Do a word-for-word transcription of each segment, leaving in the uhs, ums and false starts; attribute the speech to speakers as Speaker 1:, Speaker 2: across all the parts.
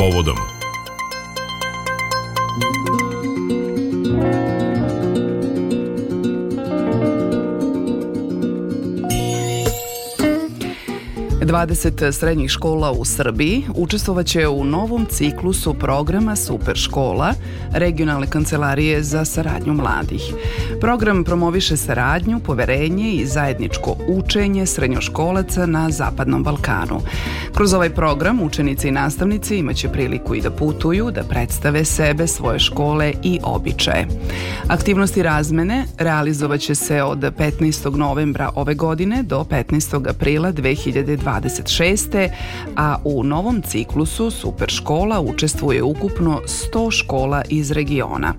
Speaker 1: povodom.
Speaker 2: dvadeset srednjih škola u Srbiji učestvovaće u novom ciklusu programa Super škola Regionalne kancelarije za saradnju mladih. Program promoviše saradnju, poverenje i zajedničko učenje srednjoškolaca na Zapadnom Balkanu. Kroz ovaj program učenici i nastavnici imaće priliku i da putuju, da predstave sebe, svoje škole i običaje. Aktivnosti razmene realizovaće se od petnaestog novembra ove godine do petnaestog aprila dve hiljade dvadeset šeste. a u novom ciklusu Super škola učestvuje ukupno sto škola iz regiona.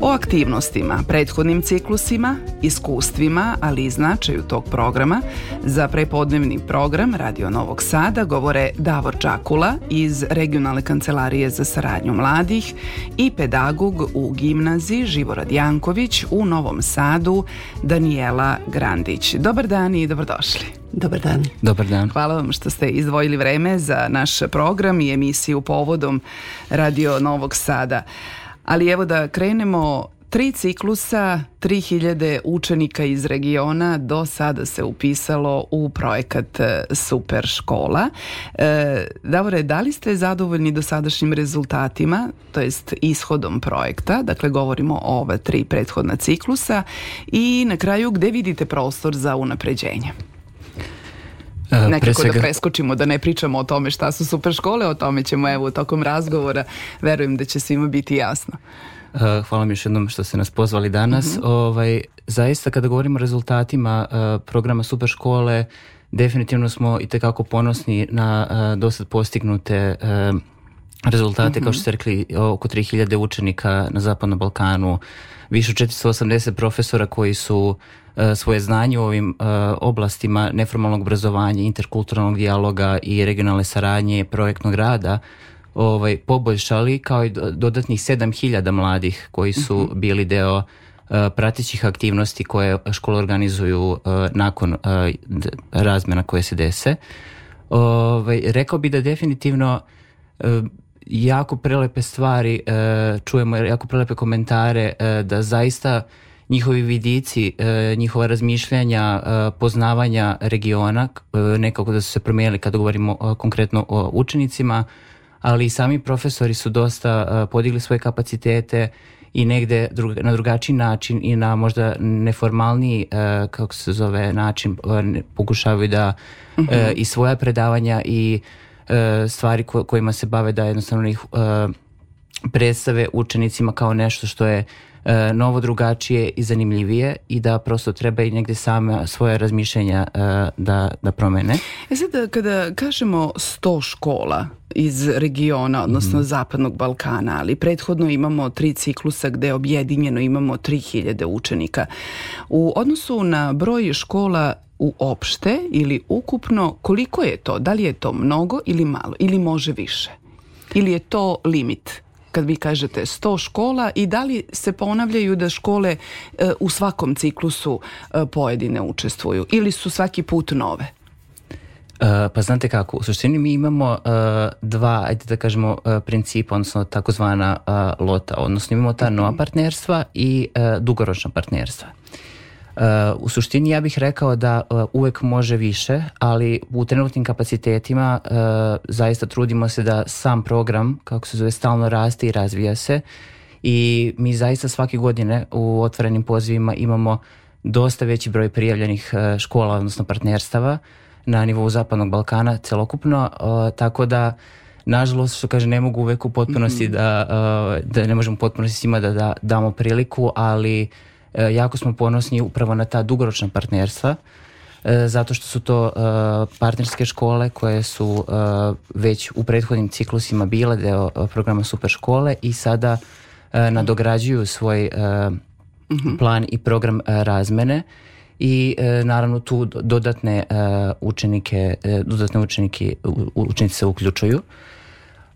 Speaker 2: O aktivnostima, prethodnim ciklusima, iskustvima, ali i značaju tog programa za prepodnevni program Radio Novog Sada govore Davor Čakula iz Regionalne kancelarije za saradnju mladih i pedagog u gimnaziji Živorad Janković u Novom Sadu Danijela Grandić. Dobar dan i dobrodošli.
Speaker 3: Dobar dan.
Speaker 4: Dobar dan.
Speaker 2: Hvala vam što ste izdvojili vreme za naš program i emisiju povodom Radio Novog Sada. Ali evo da krenemo, tri ciklusa, tri hiljade učenika iz regiona do sada se upisalo u projekat Super škola. E, Davore, da li ste zadovoljni dosadašnjim rezultatima, to jest ishodom projekta, dakle govorimo o ova tri prethodna ciklusa, i na kraju gde vidite prostor za unapređenje? Nekako svega... da preskočimo, da ne pričamo o tome šta su super škole, o tome ćemo evo tokom razgovora, verujem da će svima biti jasno.
Speaker 4: Uh, hvala mi još jednom što ste nas pozvali danas. Mm-hmm. Ovaj, zaista kada govorimo o rezultatima uh, programa Super škole, definitivno smo i tekako ponosni na uh, dosad postignute uh, rezultate, mm-hmm. kao što ste rekli, oko tri hiljade učenika na Zapadnom Balkanu, više od četiristo osamdeset profesora koji su svoje znanje u ovim uh, oblastima neformalnog obrazovanja, interkulturalnog dijaloga i regionalne saradnje, projektnog rada ovaj, poboljšali, kao i dodatnih sedam hiljada mladih koji su uh-huh. bili deo uh, pratećih aktivnosti koje škole organizuju uh, nakon uh, razmjena koje se dese. Ovaj, rekao bi da definitivno uh, jako prelepe stvari, uh, čujemo jako prelepe komentare, uh, da zaista njihovi vidici, njihova razmišljanja, poznavanja regiona, nekako da su se promijenili kada govorimo konkretno o učenicima, ali i sami profesori su dosta podigli svoje kapacitete i negde na drugačiji način i na možda neformalniji, kako se zove, način pokušavaju da uh-huh. i svoja predavanja i stvari kojima se bave da jednostavno ih predstave učenicima kao nešto što je novo, drugačije i zanimljivije i da prosto treba i negde same svoje razmišljenja da, da promene.
Speaker 2: E sad, kada kažemo sto škola iz regiona, odnosno mm-hmm. Zapadnog Balkana, ali prethodno imamo tri ciklusa gde objedinjeno imamo tri hiljade učenika. U odnosu na broj škola uopšte ili ukupno, koliko je to? Da li je to mnogo ili malo? Ili može više? Ili je to limit? Kad vi kažete sto škola, i da li se ponavljaju da škole e, u svakom ciklusu e, pojedine učestvuju ili su svaki put nove?
Speaker 4: Uh, pa znate kako, u suštini mi imamo uh, dva, ajde da kažemo, uh, principa, odnosno takozvana uh, lota, odnosno imamo ta nova partnerstva i uh, dugoročna partnerstva. Uh, u suštini ja bih rekao da uh, uvek može više, ali u trenutnim kapacitetima uh, zaista trudimo se da sam program, kako se zove, stalno raste i razvija se, i mi zaista svake godine u otvorenim pozivima imamo dosta veći broj prijavljenih uh, škola, odnosno partnerstava na nivou Zapadnog Balkana celokupno, uh, tako da nažalost, što kaže, ne mogu uvek u potpunosti mm-hmm. da, uh, da ne možemo u potpunosti svima da, da damo priliku, ali jako smo ponosni upravo na ta dugoročna partnerstva, zato što su to partnerske škole koje su već u prethodnim ciklusima bile deo programa Super škole i sada nadograđuju svoj plan i program razmene i naravno tu dodatne učenike, dodatne učenike, učenici se uključuju.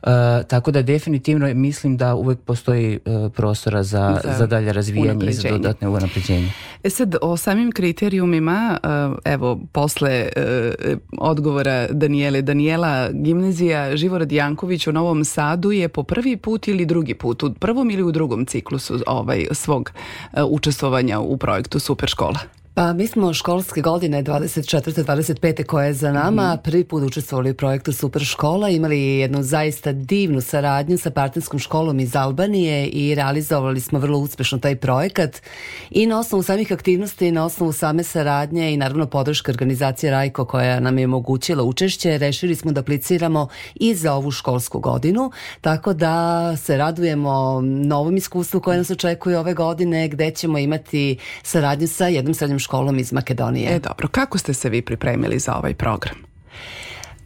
Speaker 4: Uh, tako da definitivno mislim da uvek postoji uh, prostora za, za, za dalje razvijanje i za dodatne unapređenje.
Speaker 2: E sad, o samim kriterijumima, uh, evo, posle uh, odgovora Danijele, Danijela, gimnazija Živorad Janković u Novom Sadu je po prvi put ili drugi put, u prvom ili u drugom ciklusu ovaj, svog uh, učestvovanja u projektu Super škola?
Speaker 1: Pa mi smo školske godine dvadeset četvrte dvadeset pete koja je za nama mm. prvi put učestvovali u projektu Super škola, imali jednu zaista divnu saradnju sa partnerskom školom iz Albanije i realizovali smo vrlo uspešno taj projekat i na osnovu samih aktivnosti, na osnovu same saradnje i naravno podrška organizacije Rajko koja nam je omogućila učešće, rešili smo da apliciramo i za ovu školsku godinu, tako da se radujemo novom iskustvu koje nas očekuje ove godine gde ćemo imati saradnju sa jednom srednjom školom iz Makedonije.
Speaker 2: E dobro, kako ste se vi pripremili za ovaj program?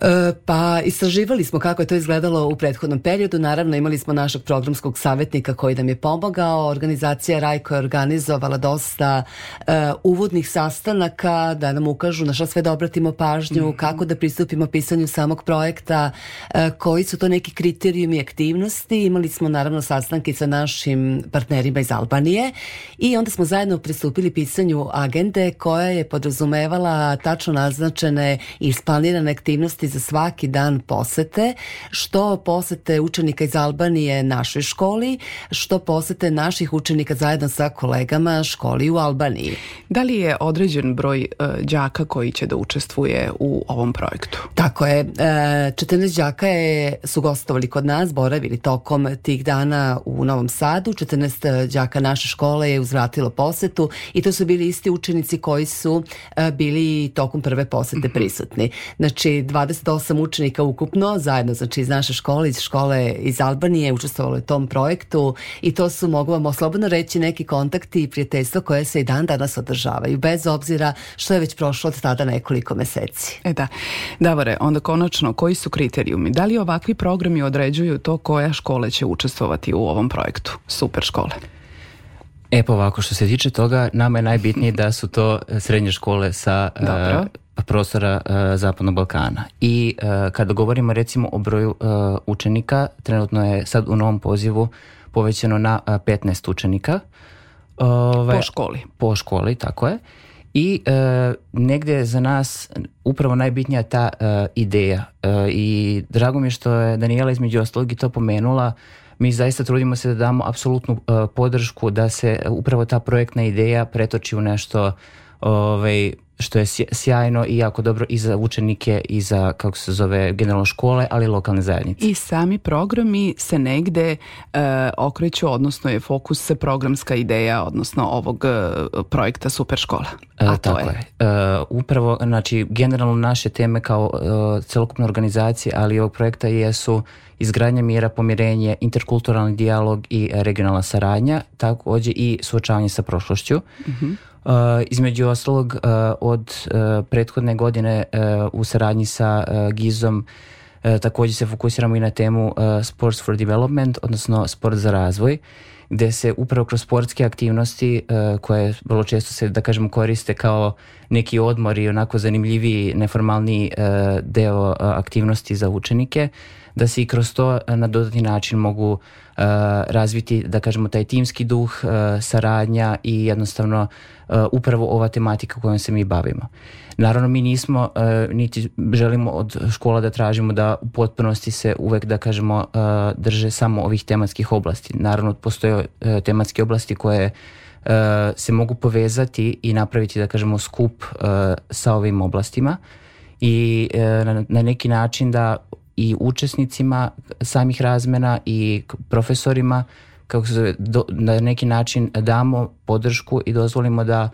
Speaker 1: E, pa istraživali smo kako je to izgledalo u prethodnom periodu. Naravno imali smo našeg programskog savjetnika koji nam je pomogao. Organizacija Rajko je organizovala dosta e, uvodnih sastanaka da nam ukažu na šta sve da obratimo pažnju, mm-hmm. kako da pristupimo pisanju samog projekta, e, koji su to neki kriterijumi aktivnosti. Imali smo naravno sastanke sa našim partnerima iz Albanije i onda smo zajedno pristupili pisanju agende koja je podrazumevala tačno naznačene i isplanirane aktivnosti za svaki dan posete, što posete učenika iz Albanije našoj školi, što posete naših učenika zajedno sa kolegama školi u Albaniji.
Speaker 2: Da li je određen broj uh, đaka koji će da učestvuje u ovom projektu?
Speaker 1: Tako je. E, četrnaest đaka je, su gostovali kod nas, boravili tokom tih dana u Novom Sadu. četrnaest đaka naše škole je uzvratilo posetu i to su bili isti učenici koji su uh, bili tokom prve posete prisutni. Znači, dvadeset osam učenika ukupno, zajedno znači iz naše škole, iz škole iz Albanije, učestvovalo u tom projektu i to su, mogu vam slobodno reći, neki kontakti i prijateljstva koje se i dan danas održavaju, bez obzira što je već prošlo od tada nekoliko meseci.
Speaker 2: E da, Davore, onda konačno, koji su kriterijumi? Da li ovakvi programi određuju to koja škola će učestvovati u ovom projektu Super škole?
Speaker 4: E pa ovako, što se tiče toga, nama je najbitnije da su to srednje škole sa uh, prostora uh, Zapadnog Balkana. I uh, kada govorimo recimo o broju uh, učenika, trenutno je sad u novom pozivu povećano na uh, petnaest učenika.
Speaker 2: Ove, po školi.
Speaker 4: Po školi, tako je. I uh, negdje je za nas upravo najbitnija ta uh, ideja. Uh, I drago mi je što je Danijela između ostalog i to pomenula. Mi zaista trudimo se da damo apsolutnu uh, podršku da se upravo ta projektna ideja pretoči u nešto ovaj, što je sjajno i jako dobro i za učenike i za, kako se zove, generalno škole, ali i lokalne zajednice.
Speaker 2: I sami programi se negde uh, okreću, odnosno je fokus programska ideja, odnosno ovog uh, projekta Super škola. A
Speaker 4: uh,
Speaker 2: to
Speaker 4: tako je. je. Uh, upravo, znači, generalno naše teme kao uh, celokupne organizacije, ali i ovog projekta jesu izgradnja mira, pomirenje, interkulturalni dijalog i regionalna saradnja, također i suočavanje sa prošlošću. Mm-hmm. Uh, između ostalog uh, od uh, prethodne godine uh, u saradnji sa uh, Gizom uh, također se fokusiramo i na temu uh, Sports for Development, odnosno sport za razvoj, gde se upravo kroz sportske aktivnosti uh, koje vrlo često se, da kažemo, koriste kao neki odmor i onako zanimljiviji, neformalni uh, deo uh, aktivnosti za učenike, da se i kroz to na dodatni način mogu uh, razviti, da kažemo, taj timski duh, uh, saradnja i jednostavno uh, upravo ova tematika kojom se mi bavimo. Naravno, mi nismo, uh, niti želimo od škola da tražimo da u potpunosti se uvek, da kažemo, uh, drže samo ovih tematskih oblasti. Naravno, postoje uh, tematske oblasti koje uh, se mogu povezati i napraviti, da kažemo, skup uh, sa ovim oblastima i uh, na, na neki način da i učesnicima samih razmena i profesorima, kako se do, na neki način damo podršku i dozvolimo da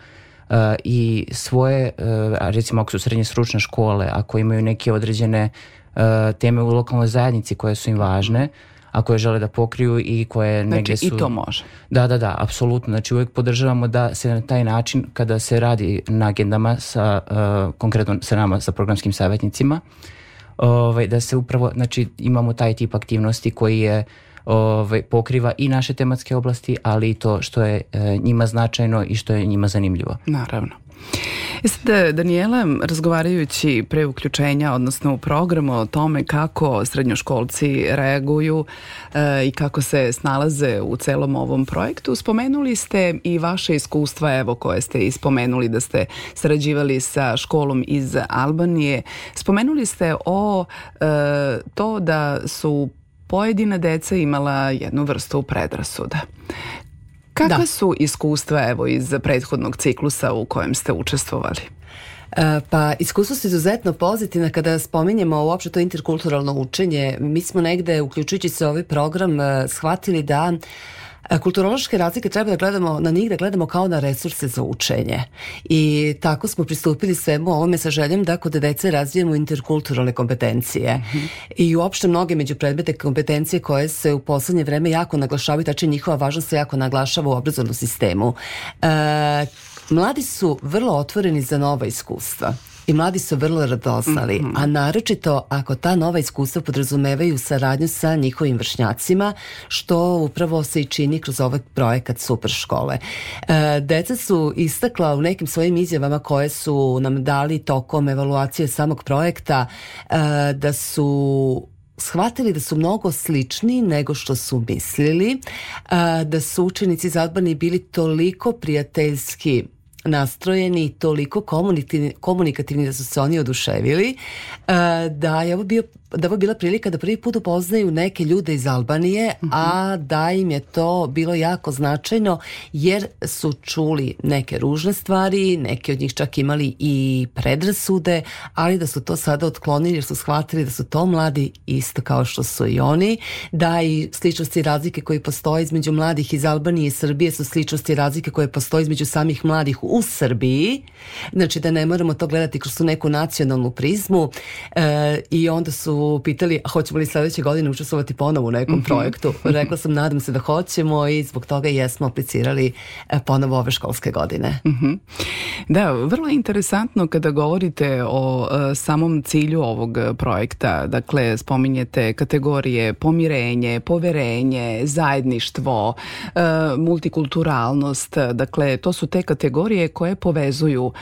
Speaker 4: uh, i svoje, uh, recimo ako su srednje stručne škole, ako imaju neke određene uh, teme u lokalnoj zajednici koje su im važne, a koje žele da pokriju i koje
Speaker 2: znači,
Speaker 4: negdje su...
Speaker 2: Znači i to može.
Speaker 4: Da, da, da, apsolutno. Znači uvijek podržavamo da se na taj način, kada se radi na agendama sa, uh, konkretno sa nama, sa programskim savjetnicima, Ovaj, da se upravo, znači imamo taj tip aktivnosti koji je ovaj, pokriva i naše tematske oblasti, ali i to što je e, njima značajno i što je njima zanimljivo.
Speaker 2: Naravno. E sad, Danijela, razgovarajući pre uključenja, odnosno u programu o tome kako srednjoškolci reaguju e, i kako se snalaze u celom ovom projektu, spomenuli ste i vaše iskustva, evo, koje ste ispomenuli da ste sarađivali sa školom iz Albanije. Spomenuli ste o e, to da su pojedina deca imala jednu vrstu predrasuda. Kakva da. su iskustva, evo, iz prethodnog ciklusa u kojem ste učestvovali?
Speaker 1: E, pa iskustvo su izuzetno pozitivna kada spominjemo uopšte to interkulturalno učenje. Mi smo negde, uključujući se ovaj program, shvatili da kulturološke razlike treba da gledamo na njih, da gledamo kao na resurse za učenje. I tako smo pristupili svemu ovome sa željom da kod dece razvijemo interkulturalne kompetencije. Mm-hmm. I uopšte mnoge međupredmetne kompetencije koje se u poslednje vreme jako naglašavaju, tači njihova važnost se jako naglašava u obrazovnom sistemu. E, mladi su vrlo otvoreni za nova iskustva. I mladi su vrlo radoznali, mm-hmm. a naročito ako ta nova iskustva podrazumevaju saradnju sa njihovim vršnjacima, što upravo se i čini kroz ovaj projekat Super škole. E, deca su istakla u nekim svojim izjavama koje su nam dali tokom evaluacije samog projekta e, da su shvatili da su mnogo slični nego što su mislili, e, da su učenici iz Albanije bili toliko prijateljski nastrojeni, toliko komunikativni, komunikativni da su se oni oduševili, da je ovo bio da ovo bila prilika da prvi put upoznaju neke ljude iz Albanije, mm-hmm. a da im je to bilo jako značajno jer su čuli neke ružne stvari, neki od njih čak imali i predrasude, ali da su to sada otklonili jer su shvatili da su to mladi isto kao što su i oni, da i sličnosti i razlike koje postoje između mladih iz Albanije i Srbije su sličnosti i razlike koje postoje između samih mladih u Srbiji, znači da ne moramo to gledati kroz tu neku nacionalnu prizmu, e, i onda su pitali hoćemo li sledeće godine učestvovati ponovo u nekom mm-hmm. projektu. Rekla sam nadam se da hoćemo i zbog toga jesmo aplicirali ponovo ove školske godine.
Speaker 2: Mm-hmm. Da, vrlo je interesantno kada govorite o uh, samom cilju ovog projekta. Dakle, spominjete kategorije pomirenje, poverenje, zajedništvo, uh, multikulturalnost. Dakle, to su te kategorije koje povezuju uh,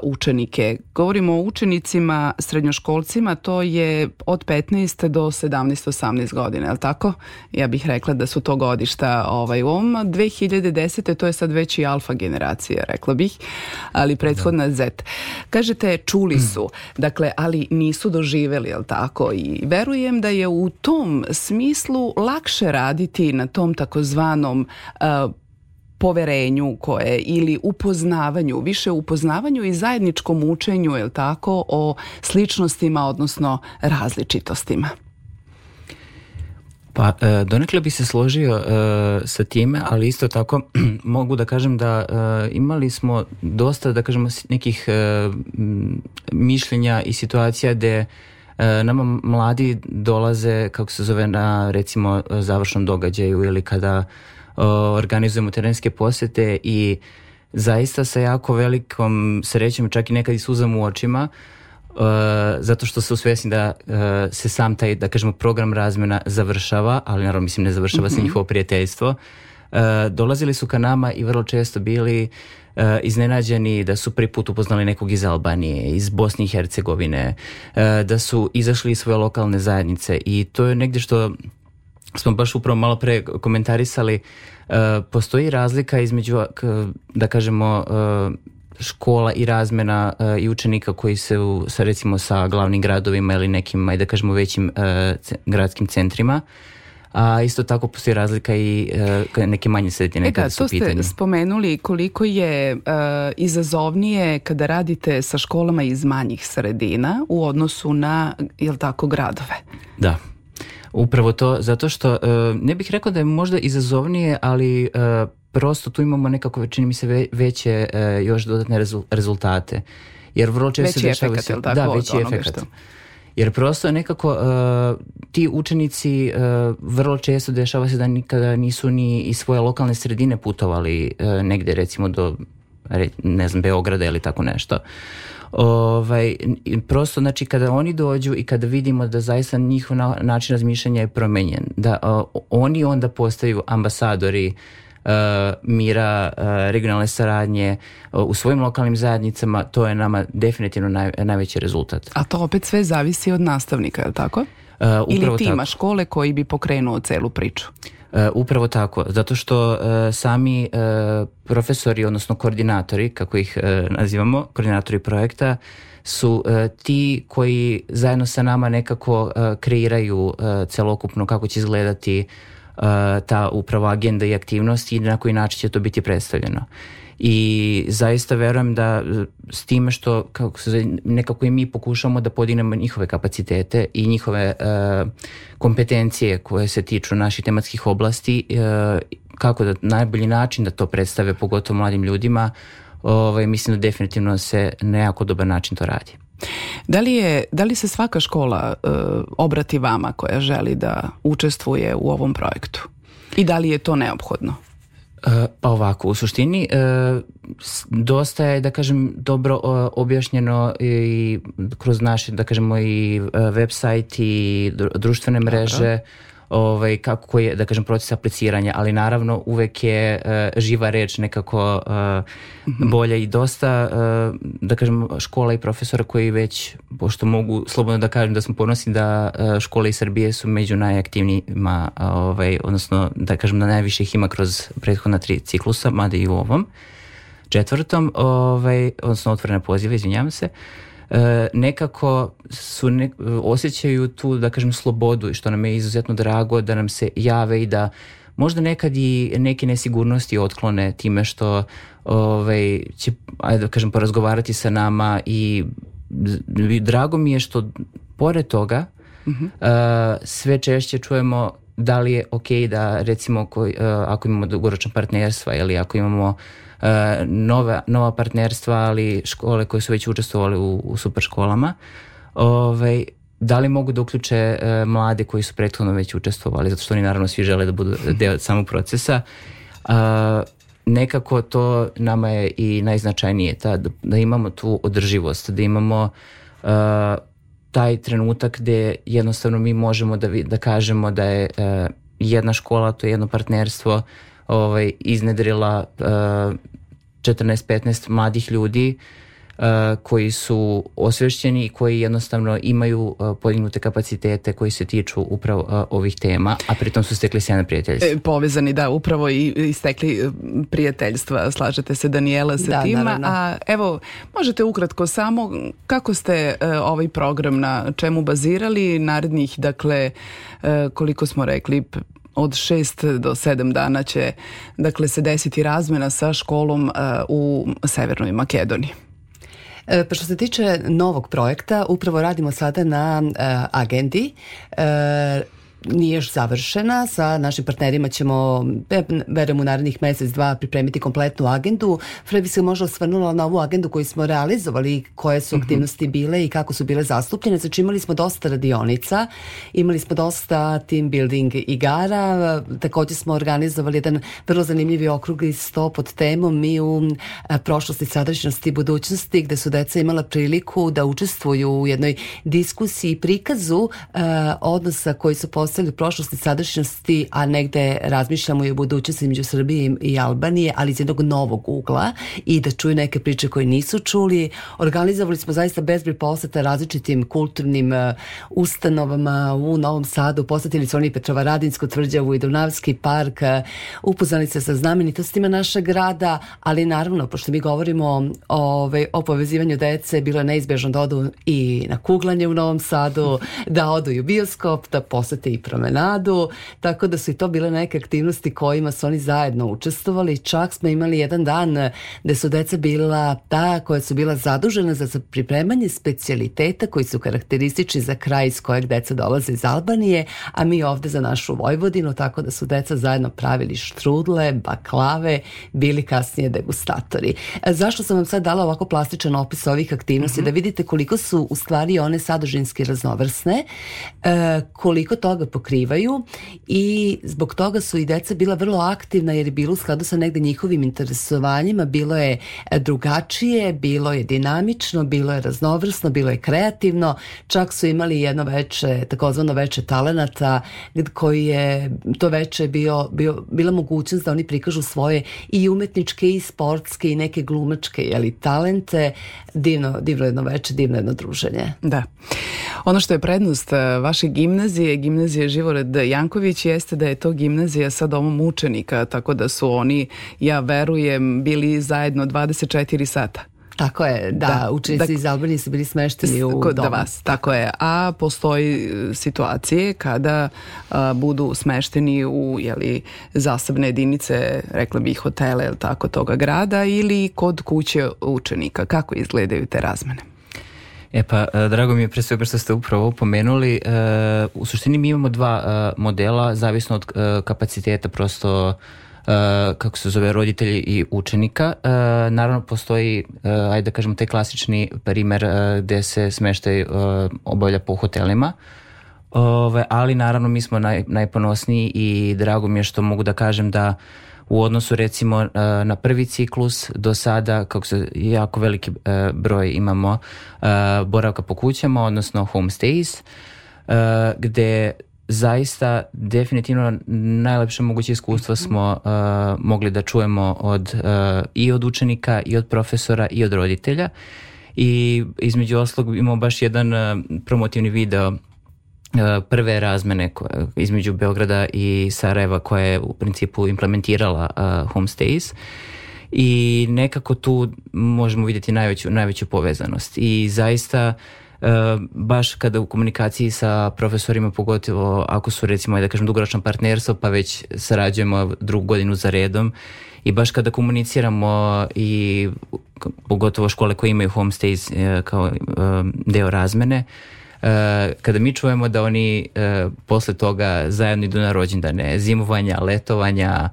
Speaker 2: učenike. Govorimo o učenicima, srednjoškolcima, to je od petnaest do sedamnaest osamnaest godina, je li tako? Ja bih rekla da su to godišta ovaj, u ovom dve hiljade desete. to je sad već i alfa generacija, rekla bih, ali prethodna Z. Kažete, čuli su, dakle, ali nisu doživeli, je li tako? I verujem da je u tom smislu lakše raditi na tom takozvanom uh, poverenju koje ili upoznavanju, više upoznavanju i zajedničkom učenju, je li tako, o sličnostima, odnosno različitostima.
Speaker 4: Pa donekle bi se složio uh, sa time, ali isto tako mogu da kažem da uh, imali smo dosta, da kažemo, nekih uh, mišljenja i situacija gde uh, nama mladi dolaze, kako se zove, na recimo završnom događaju ili kada organizujemo terenske posete i zaista sa jako velikom srećom, čak i nekad i suzam u očima, uh, zato što su svjesni da uh, se sam taj, da kažemo, program razmjena završava, ali naravno mislim ne završava mm-hmm. se njihovo prijateljstvo. Uh, dolazili su ka nama i vrlo često bili uh, iznenađeni da su prvi put upoznali nekog iz Albanije, iz Bosne i Hercegovine, uh, da su izašli iz svoje lokalne zajednice i to je negdje što smo baš upravo malo pre komentarisali, uh, postoji razlika između, da kažemo, uh, škola i razmjena uh, i učenika koji se u, sa, recimo sa glavnim gradovima ili nekim, da kažemo, većim uh, c- gradskim centrima. A isto tako postoji razlika i uh, neke manje sredine kada su u pitanju.
Speaker 2: To ste spomenuli koliko je uh, izazovnije kada radite sa školama iz manjih sredina u odnosu na, jel tako, gradove?
Speaker 4: Da. Upravo to, zato što uh, ne bih rekao da je možda izazovnije, ali uh, prosto tu imamo nekako, čini mi se, ve, veće uh, još dodatne rezul, rezultate. Jer vrlo često
Speaker 2: veći efekat, se, tako?
Speaker 4: Da, veći efekat. Što... Jer prosto nekako uh, ti učenici uh, vrlo često dešava se da nikada nisu ni iz svoje lokalne sredine putovali uh, negde, recimo do, ne znam, Beograda ili tako nešto. Ovaj, prosto, znači, kada oni dođu i kada vidimo da zaista njihov način razmišljanja je promenjen, da uh, oni onda postaju ambasadori uh, mira, regionalne saradnje u svojim lokalnim zajednicama, to je nama definitivno naj, najveći rezultat.
Speaker 2: A to opet sve zavisi od nastavnika, je li tako?
Speaker 4: Uh,
Speaker 2: Ili tima
Speaker 4: tako.
Speaker 2: škole koji bi pokrenuo celu priču?
Speaker 4: Uh, upravo tako, zato što uh, sami uh, profesori, odnosno koordinatori, kako ih uh, nazivamo, koordinatori projekta, su uh, ti koji zajedno sa nama nekako uh, kreiraju uh, celokupno kako će izgledati uh, ta upravo agenda i aktivnosti i na koji način će to biti predstavljeno. I zaista verujem da s time što kako se, nekako i mi pokušamo da podignemo njihove kapacitete i njihove uh, kompetencije koje se tiču naših tematskih oblasti, uh, kako da najbolji način da to predstave pogotovo mladim ljudima, ovaj, mislim da definitivno se na jako dobar način to radi.
Speaker 2: Da li, je, da li se svaka škola uh, obrati vama koja želi da učestvuje u ovom projektu? I da li je to neophodno?
Speaker 4: Uh, pa ovako, u suštini uh, dosta je, da kažem, dobro uh, objašnjeno i kroz naše, da kažemo, i uh, website i društvene mreže, ovaj, kako je, da kažem, proces apliciranja, ali naravno uvek je uh, živa reč nekako uh, mm-hmm. bolja i dosta, uh, da kažem, škola i profesora koji već, pošto mogu slobodno da kažem da smo ponosni da uh, škole iz Srbije su među najaktivnijima, ovaj, odnosno da kažem da najviše ih ima kroz prethodna tri ciklusa, mada i u ovom četvrtom, ovaj, odnosno otvorene pozive, izvinjavam se. E, nekako su ne, osjećaju tu, da kažem, slobodu i što nam je izuzetno drago da nam se jave i da možda nekad i neke nesigurnosti otklone time što ovaj, će, ajde da kažem, porazgovarati sa nama i drago mi je što pored toga mm-hmm. e, sve češće čujemo da li je ok da recimo ko, e, ako imamo dugoročna partnerstva ili ako imamo Uh, nova, nova partnerstva, ali škole koje su već učestvovali u, u super školama, ovaj, da li mogu da uključe uh, mlade koji su prethodno već učestvovali, zato što oni naravno svi žele da budu deo samog procesa. Uh, nekako to nama je i najznačajnije, ta, da, da imamo tu održivost, da imamo uh, taj trenutak gde jednostavno mi možemo da, da kažemo da je uh, jedna škola, to je jedno partnerstvo, ovaj, iznedrila uh, četrnaest petnaest mladih ljudi uh, koji su osvešćeni i koji jednostavno imaju uh, podignute kapacitete koji se tiču upravo uh, ovih tema, a pritom su stekli sjajna prijateljstva.
Speaker 2: E, povezani, da, upravo i, i stekli prijateljstva, slažete se, Danijela, sa da, tima. Naravno. A evo, možete ukratko samo kako ste uh, ovaj program na čemu bazirali, narednih, dakle, uh, koliko smo rekli, od šest do sedam dana će, dakle, se desiti razmena sa školom uh, u Severnoj Makedoniji.
Speaker 1: E, pa što se tiče novog projekta, upravo radimo sada na uh, agendi. E, nije još završena. Sa našim partnerima ćemo, verujem, u narednih mesec, dva pripremiti kompletnu agendu. Fred bi se možda osvrnula na ovu agendu koju smo realizovali, koje su aktivnosti bile i kako su bile zastupljene. Znači imali smo dosta radionica, imali smo dosta team building igara, također smo organizovali jedan vrlo zanimljivi okrugli sto pod temom Mi u prošlosti, sadašnjosti i budućnosti, gde su deca imala priliku da učestvuju u jednoj diskusiji i prikazu uh, odnosa koji su postavili u prošlosti, sadašnjosti, a negde razmišljamo i o budućnosti između Srbije i Albanije, ali iz jednog novog ugla i da čuju neke priče koje nisu čuli. Organizovali smo zaista bezbroj poseta različitim kulturnim uh, ustanovama u Novom Sadu, posetili su oni Petrovaradinsku tvrđavu i Dunavski park, uh, upoznali se sa znamenitostima našeg grada, ali naravno, pošto mi govorimo o, o povezivanju dece, bilo je neizbježno da odu i na kuglanje u Novom Sadu, da odu i u bioskop, da posete i promenadu, tako da su i to bile neke aktivnosti kojima su oni zajedno učestvovali. Čak smo imali jedan dan gde su deca bila ta koja su bila zadužena za pripremanje specijaliteta koji su karakteristični za kraj iz kojeg deca dolaze iz Albanije, a mi ovde za našu Vojvodinu, tako da su deca zajedno pravili štrudle, baklave, bili kasnije degustatori. Zašto sam vam sad dala ovako plastičan opis ovih aktivnosti? Mm-hmm. Da vidite koliko su u stvari one sadržinski raznovrsne, koliko toga rashod pokrivaju i zbog toga su i deca bila vrlo aktivna jer je bilo u skladu sa negde njihovim interesovanjima, bilo je drugačije, bilo je dinamično, bilo je raznovrsno, bilo je kreativno, čak su imali jedno veče, takozvano veče talenata koji je, to veče bio, bio, bila mogućnost da oni prikažu svoje i umetničke i sportske i neke glumačke jeli, talente. Divno, divno jedno veče, divno jedno druženje.
Speaker 2: Da. Ono što je prednost vaše gimnazije, gimnazije Živored Janković, jeste da je to gimnazija sa domom učenika, tako da su oni, ja verujem, bili zajedno dvadeset četiri sata.
Speaker 1: Tako je, da, da učenici da, iz Albanije su bili smešteni u
Speaker 2: kod
Speaker 1: domu.
Speaker 2: Vas, tako je. A postoji situacije kada a, budu smešteni u jeli, zasebne jedinice, rekla bih hotele ili tako toga grada ili kod kuće učenika. Kako izgledaju te razmene?
Speaker 4: E pa, drago mi je pre svega što ste upravo pomenuli. U suštini mi imamo dva modela, zavisno od kapaciteta prosto kako se zove roditelji i učenika. Naravno postoji, ajde da kažemo, taj klasični primer gde se smeštaj obavlja po hotelima, ali naravno mi smo naj, najponosniji i drago mi je što mogu da kažem da u odnosu recimo na prvi ciklus do sada, kako se jako veliki broj imamo boravka po kućama, odnosno homestays, gde zaista definitivno najlepše moguće iskustva smo uh, mogli da čujemo od, uh, i od učenika i od profesora i od roditelja i između oslog imamo baš jedan uh, promotivni video uh, prve razmene koje, između Beograda i Sarajeva koja je u principu implementirala uh, homestays i nekako tu možemo vidjeti najveću, najveću povezanost i zaista Uh, baš kada u komunikaciji sa profesorima, pogotovo ako su recimo da kažem dugoročno partnerstvo pa već sarađujemo drugu godinu za redom i baš kada komuniciramo i pogotovo škole koje imaju homestays uh, kao uh, deo razmene, uh, kada mi čujemo da oni uh, posle toga zajedno idu na rođendane, zimovanja, letovanja,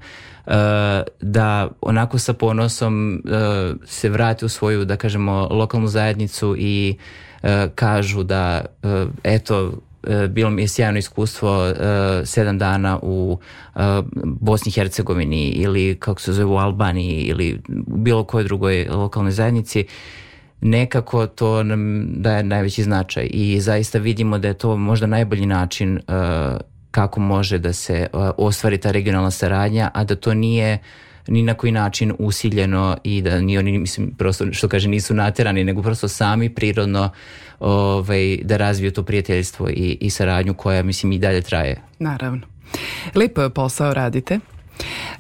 Speaker 4: Uh, da onako sa ponosom uh, se vrate u svoju, da kažemo, lokalnu zajednicu i uh, kažu da uh, eto, uh, bilo mi je sjajno iskustvo uh, sedam dana u uh, Bosni i Hercegovini ili kako se zove u Albaniji ili u bilo kojoj drugoj lokalnoj zajednici. Nekako to nam daje najveći značaj i zaista vidimo da je to možda najbolji način uh, kako može da se uh, ostvari ta regionalna saradnja, a da to nije ni na koji način usiljeno i da ni oni, mislim, prosto što kaže nisu naterani, nego prosto sami prirodno ovaj, da razviju to prijateljstvo i, i saradnju koja, mislim, i dalje traje.
Speaker 2: Naravno. Lep posao radite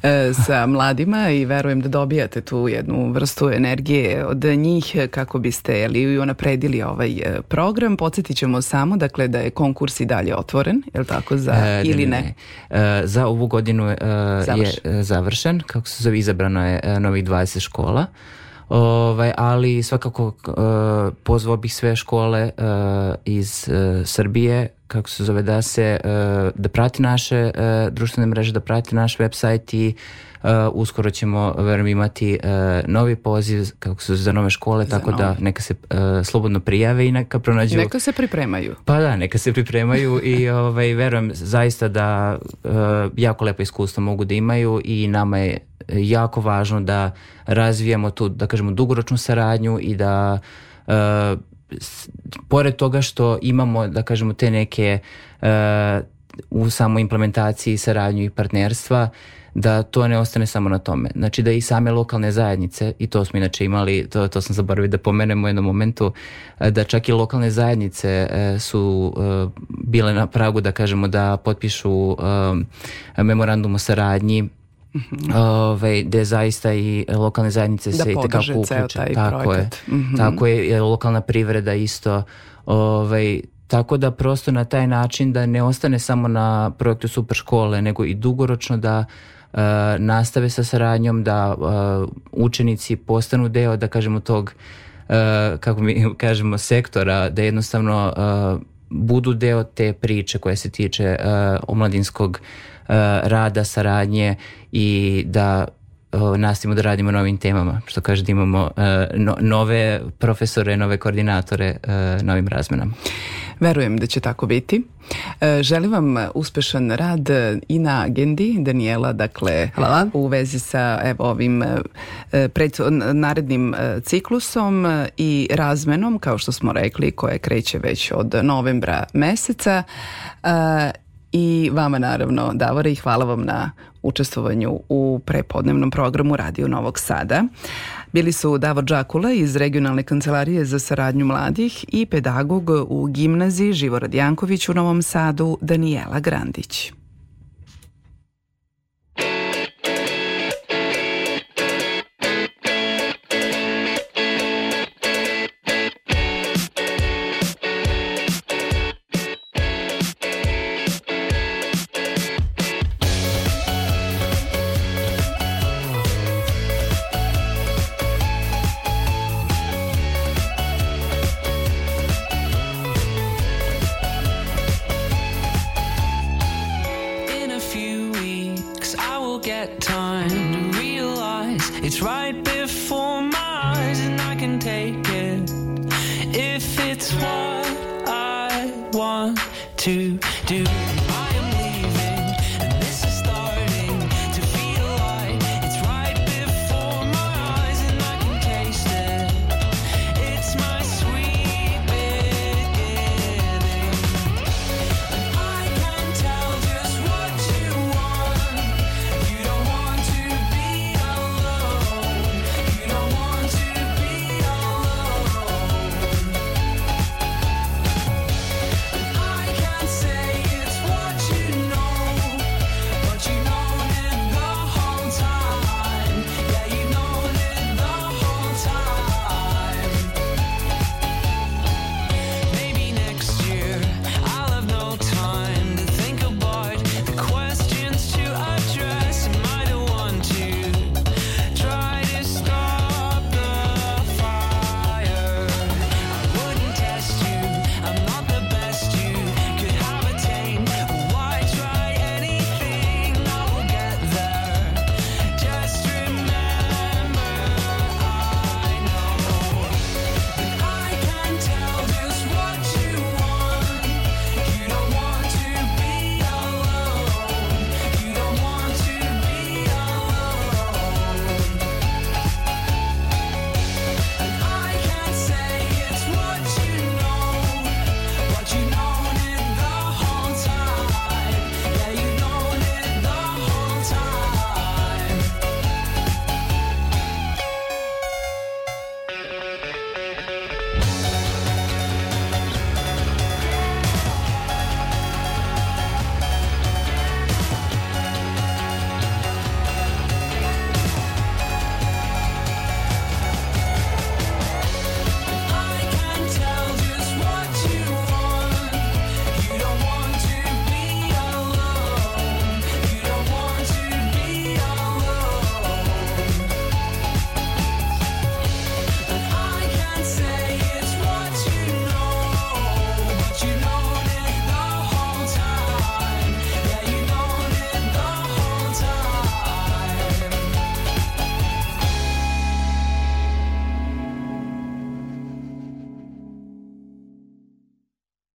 Speaker 2: e, sa mladima i verujem da dobijate tu jednu vrstu energije od njih kako biste jeli, unapredili ovaj program. Podsjetit ćemo samo dakle, da je konkurs i dalje otvoren, je li tako, za, e, ili ne? ne?
Speaker 4: E, za ovu godinu e, završen. je završen, kako se zove, izabrano je e, novih dvadeset škola. Ovaj, ali svakako uh, pozvao bih sve škole uh, iz uh, Srbije, kako se zove, da se uh, da prati naše uh, društvene mreže, da prati naš website i uh, uskoro ćemo, verujem, imati uh, novi poziv, kako se zove, za nove škole, za tako nove. Da neka se uh, slobodno prijave i neka pronađu.
Speaker 2: Neka se pripremaju.
Speaker 4: Pa da, neka se pripremaju i ovaj, verujem zaista da uh, jako lepo iskustvo mogu da imaju i nama je jako važno da razvijamo tu, da kažemo, dugoročnu saradnju i da uh, s, pored toga što imamo, da kažemo, te neke uh, u samoj implementaciji saradnju i partnerstva, da to ne ostane samo na tome. Znači da i same lokalne zajednice, i to smo inače imali, to, to sam zaboravio da pomenemo u jednom momentu, da čak i lokalne zajednice uh, su uh, bile na pragu, da kažemo, da potpišu uh, memorandum o saradnji. Mm-hmm. Ove, gde zaista i lokalne zajednice
Speaker 2: da
Speaker 4: se i tekako uključe. Tako je,
Speaker 2: mm-hmm.
Speaker 4: tako je, lokalna privreda isto. Ove, tako da prosto na taj način da ne ostane samo na projektu Super škole, nego i dugoročno da uh, nastave sa saradnjom, da uh, učenici postanu deo, da kažemo, tog, uh, kako mi kažemo, sektora, da jednostavno uh, budu deo te priče koje se tiče uh, omladinskog Uh, rada, saradnje i da o, nastavimo da radimo na novim temama, što kaže da imamo e, no, nove profesore, nove koordinatore e, na ovim razmenama.
Speaker 2: Verujem da će tako biti. Želim vam uspešan rad i na agendi, Danijela, dakle
Speaker 1: Hvala.
Speaker 2: U vezi sa evo, ovim pred, narednim ciklusom i razmenom, kao što smo rekli, koje kreće već od novembra meseca. I vama naravno, Davore, i hvala vam na učestvovanju u prepodnevnom programu Radio Novog Sada. Bili su Davor Đakula iz Regionalne kancelarije za saradnju mladih i pedagog u gimnaziji Živorad Janković u Novom Sadu, Danijela Grandić.
Speaker 3: It's right